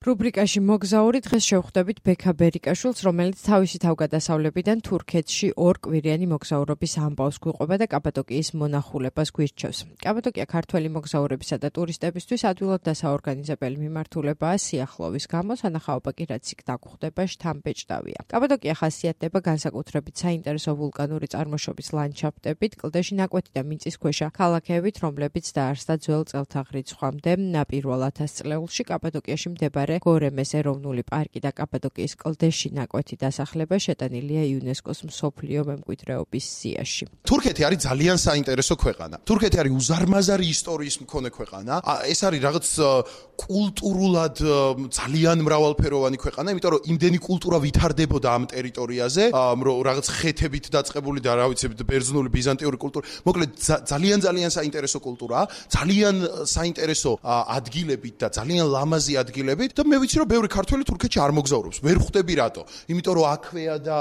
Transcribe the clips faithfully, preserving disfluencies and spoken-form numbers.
რუბრიკაში მოგზაური დღეს შევხვდებით ბექა ბერიკაშვილს, რომელიც თავისი თავგადასავლებიდან თურქეთში ორ კვირიანი მოგზაურობის ამბავს გვიყვება და კაპადოკიის მონახულებას გვირჩევს. კაპადოკია ქართველი მოგზაურებისა და ტურისტებისთვის ადვილად დასაორგანიზებელი მიმართულებაა სიახლოვის გამო, სანახაობა კი რაც იქ დაგხვდება შთამბეჭდავია. კაპადოკია ხასიათდება განსაკუთრებით საინტერესო ვულკანური წარმოშობის ლანდშაფტებით, კლდეში ნაკვეთი და მიწისქვეშა ქალაქებით, რომლებიც დაარსდა ძველ წელთაღრიცხვამდე პირველ ათასწლეულში. კაპადოკიაში მდებარე გორემეს ეროვნული პარკი და კაპადოკიის კლდეში ნაკვეთი დასახლება შეტანილია იუნესკოს მსოფლიო მემკვიდრეობის სიაში. თურქეთი არის ძალიან საინტერესო ქვეყანა. თურქეთი არის უზარმაზარი ისტორიის მქონე ქვეყანა. ეს არის რაღაც კულტურულად ძალიან მრავალფეროვანი ქვეყანა, იმიტომ რომ იმდენი კულტურა ვითარდებოდა ამ ტერიტორიაზე, რომ რაღაც ხეთებით დაწყებული და რა ვიცი, ბერძნული, ბიზანტიური კულტურა. მოკლედ ძალიან ძალიან საინტერესო კულტურაა, ძალიან საინტერესო ადგილებით და ძალიან ლამაზი ადგილებით. და მე ვიცი რომ ბევრი ქართველი თურქეთში არ მოგზაურობს. ვერ ხვდები რატო? იმიტომ რომ აქვეა და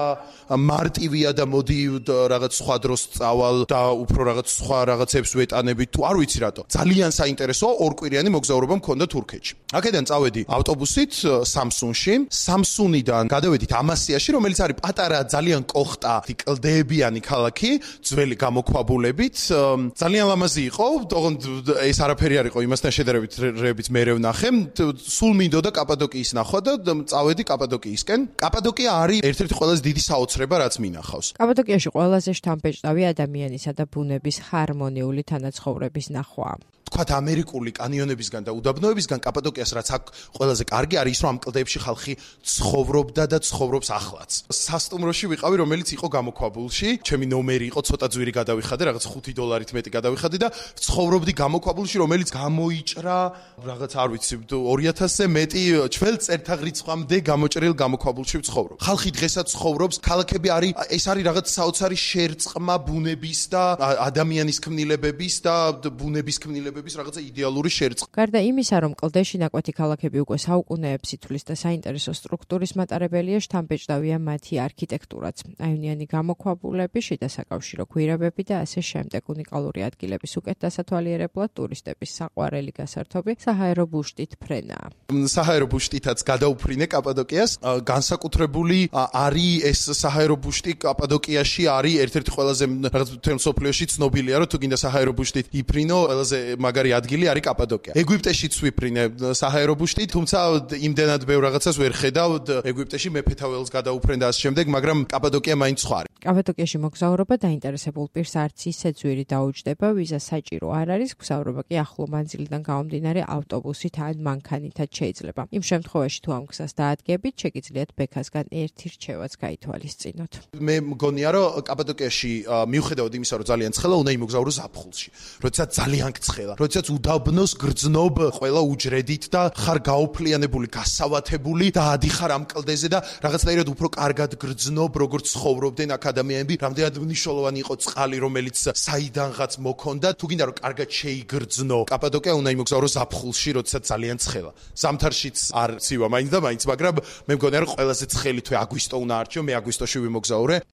მარტივია და მოდი რაღაც სხვა დროს წავალ და უფრო რაღაც სხვა რაღაცებს ვეტანებით თუ არ ვიცი რატო. ძალიან საინტერესოა ორკვირიანი მოგზაურობა მქონდა თურქეთში. აქედან წავედი ავტობუსით სამსუნში. სამსუნიდან გადავედით ამასიაში, რომელიც არის პატარა, ძალიან კოხტა, კლდეებიანი ქალაქი, ძველი გამოქვაბულებით. ძალიან ლამაზი იყო. თუმცა ეს არაფერი არ იყო იმასთან შედარებით, რებით მე ვნახე. სულ მინდოდა კაპადოკიის ნახვა და წავედი კაპადოკიისკენ. კაპადოკია არის ერთ-ერთი ყველაზე დიდი საოცრება, რაც მინახავს. კაპადოკიაში ყველაზე შთამბეჭდავი ადამიანისა და ბუნების ჰარმონიული თანაცხოვრების ნახვაა. თქვათ ამერიკული კანიონებისგან და უდაბნოებისგან კაპადოკიას რაც აქ ყველაზე კარგი არის ის რომ ამ კლდეებში ხალხი ცხოვრობდა და ცხოვრობს ახლაც. სასტუმროში ვიყავი, რომელიც იყო გამოქვაბულში, ჩემი ნომერი იყო, ცოტა ძვირი გადავიხადე, რაღაც ხუთი დოლარით მეტი გადავიხადე და ცხოვრობდი გამოქვაბულში, რომელიც გამოიჭრა რაღაც არ ვიცი ორი ათასზე მეტი ჩველ წელთაღრიცხვამდე გამოჭრილ გამოქვაბულში ვცხოვრობ. ხალხი დღესაც ცხოვრობს, ქალაქები არის, ეს არის რაღაც საოცარი შერწყმა ბუნების და ადამიანის ქმნილებების და ბუნების ქმნილებების რაღაცა იდეალური შერწყმა. გარდა იმისა, რომ კლდეში ნაკვეთი ქალაქები უკვე საუკუნეებს ითვლის და საინტერესო სტრუქტურის მატარებელია, შთამბეჭდავია მათი არქიტექტურაც. აივნიანი გამოქვაბულები, შიდა საკავშირო გვირაბები და ასე შემდეგ. უნიკალური ადგილების უკეთ დასათვალიერებლად ტურისტების საყვარელი გასართობი საჰაერო ბუშტით ფრენაა. საჰაერო ბუშტითაც გადაუფრინე კაპადოკიას. განსაკუთრებული არის ეს საჰაერო ბუშტი კაპადოკიაში არის ერთ-ერთი ყველაზე რაღაც მთელ მსოფლიოში ცნობილია, რომ თუ გინდა საჰაერო ბუშტით იფრინო, ყველაზე მაგარი ადგილი არის კაპადოკია. ეგვიპტეშიც ვიფრინე საჰაერო ბუშტით, თუმცა იმდენად ბევრ რაღაცას ვერ ხედავ. ეგვიპტეში მეფეთა ველს გადაუფრენ და ასე შემდეგ, მაგრამ კაპადოკია მაინც სხვა არის. კაპადოკიაში მოგზაურობა დაინტერესებულ პირს არც ისე ძვირი დაუჯდება, ვიზა საჭირო არ არის, მგზავრობა კი ახლო მანძილიდან გამომდინარე ავტობუსით ან მანქანითაც შეიძლება. იმ შემთხვევაში თუ ამ გზას დაადგებით, შეგიძლიათ ბექასგან ერთი რჩევაც გაითვალისწინოთ. მე მგონია რომ კაპადოკიაში მიუხედავად იმისა, რომ ძალიან ცხელა, უნდა იმოგზაურო ზაფხულში. როდესაც ძალიან ცხელა, როდესაც უდაბნოს გრძნობ ყველა უჯრედით და ხარ გაოფლიანებული, გასავათებული და ადიხარ ამ კლდეზე და რაღაცნაირად უფრო კარგად გრძნობ, როგორც ცხოვრობდნენ აქ ადამიანები. რამდენად მნიშვნელოვანი იყო წყალი, რომელიც საიდანღაც მოქონდა. თუ გინდა რომ კარგად შეიგრძნო, კაპადოკია უნდა იმოგზაურო ზაფხულში, როდესაც ძალიან ცხელა. ზამთარშიც არ ცივა მაინც და მაინც, მაგრამ მე მგონია რომ ყველაზე ცხელი თვე აგვისტო უნდა არჩიო, მე აგვისტოში ვიმოგზაურე.